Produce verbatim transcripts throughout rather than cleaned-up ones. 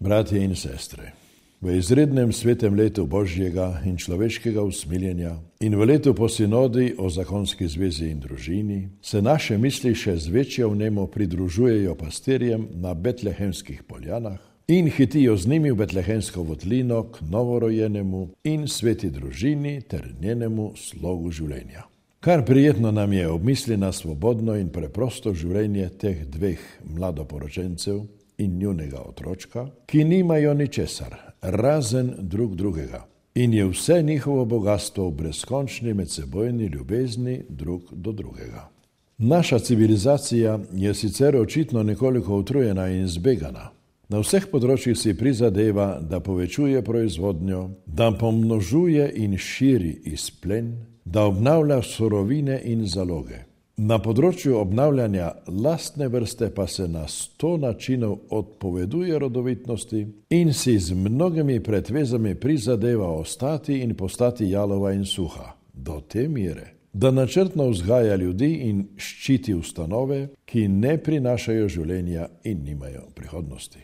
Bratje in sestre, v izrednem svetem letu Božjega in človeškega usmiljenja in v letu po sinodi o zakonski zvezi in družini se naše misli še z večjo vnemo pridružujejo pastirjem na betlehemskih poljanah in hitijo z njimi v betlehemsko votlino k novorojenemu in sveti družini ter njenemu slogu življenja. Kar prijetno nam je obmisli na svobodno in preprosto življenje teh dveh mladoporočencev in njunega otročka, ki nimajo ničesar, razen drug drugega, in je vse njihovo bogatstvo v brezkončni medsebojni ljubezni drug do drugega. Naša civilizacija je sicer očitno nekoliko utrujena in zbegana. Na vseh področjih si prizadeva, da povečuje proizvodnjo, da pomnožuje in širi izplen, da obnavlja surovine in zaloge. Na področju obnavljanja lastne vrste pa se na sto načinov odpoveduje rodovitnosti in si z mnogimi pretvezami prizadeva ostati in postati jalova in suha, do te mere, da načrtno vzgaja ljudi in ščiti ustanove, ki ne prinašajo življenja in nimajo prihodnosti.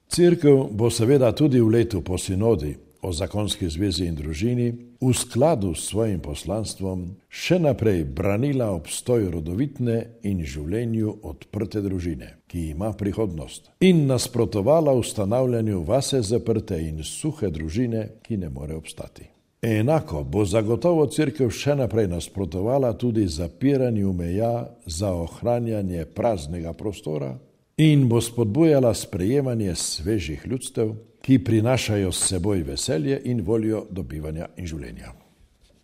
Cerkev bo seveda tudi v letu po sinodi o zakonski zvezi in družini v skladu s svojim poslanstvom še naprej branila obstoj rodovitne in življenju odprte družine, ki ima prihodnost, in nasprotovala ustanavljanju vase zaprte in suhe družine, ki ne more obstati. Enako bo zagotovo cerkev še naprej nasprotovala tudi zapiranju meja za ohranjanje praznega prostora in bo spodbujala sprejemanje svežih ljudstev, ki prinašajo s seboj veselje in voljo dobivanja in življenja.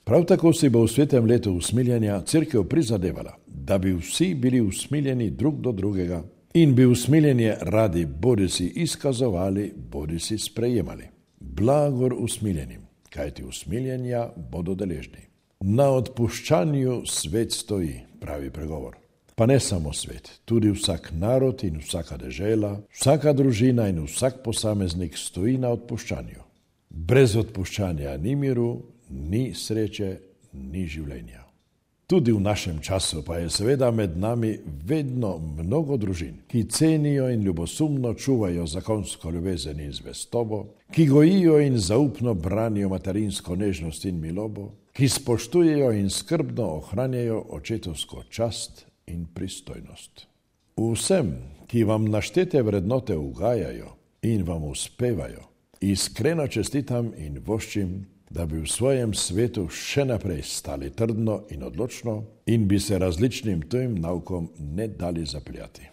Prav tako si bo v svetem letu usmiljenja cerkev prizadevala, da bi vsi bili usmiljeni drug do drugega in bi usmiljenje radi bodisi izkazovali, bodisi sprejemali. Blagor usmiljenim, kajti usmiljenja bodo deležni. Na odpuščanju svet stoji, pravi pregovor. Pa ne samo svet, tudi vsak narod in vsaka dežela, vsaka družina in vsak posameznik stoji na odpuščanju. Brez odpuščanja ni miru, ni sreče, ni življenja. Tudi v našem času pa je seveda med nami vedno mnogo družin, ki cenijo in ljubosumno čuvajo zakonsko ljubezen in zvestobo, ki gojijo in zaupno branijo materinsko nežnost in milobo, ki spoštujejo in skrbno ohranjajo očetovsko čast in pristojnost. Vsem, ki vam naštete vrednote ugajajo in vam uspevajo, iskreno čestitam in voščim, da bi v svojem svetu še naprej stali trdno in odločno in bi se različnim tujim naukom ne dali zapljati.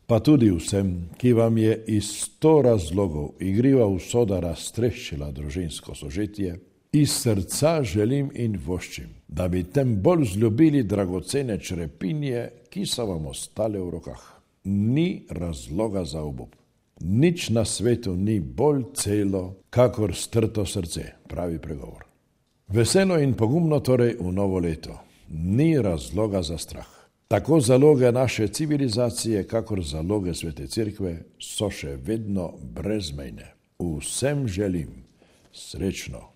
Pa tudi vsem, ki vam je iz sto razlogov igriva usoda raztreščila družinsko sožitje, iz srca želim in voščim, da bi tem bolj vzljubili dragocene črepinje, ki so vam ostale v rokah. Ni razloga za obup. Nič na svetu ni bolj celo, kakor strto srce, pravi pregovor. Veselo in pogumno torej v novo leto. Ni razloga za strah. Tako zaloge naše civilizacije, kakor zaloge svete cerkve so še vedno brezmejne. Vsem želim srečno.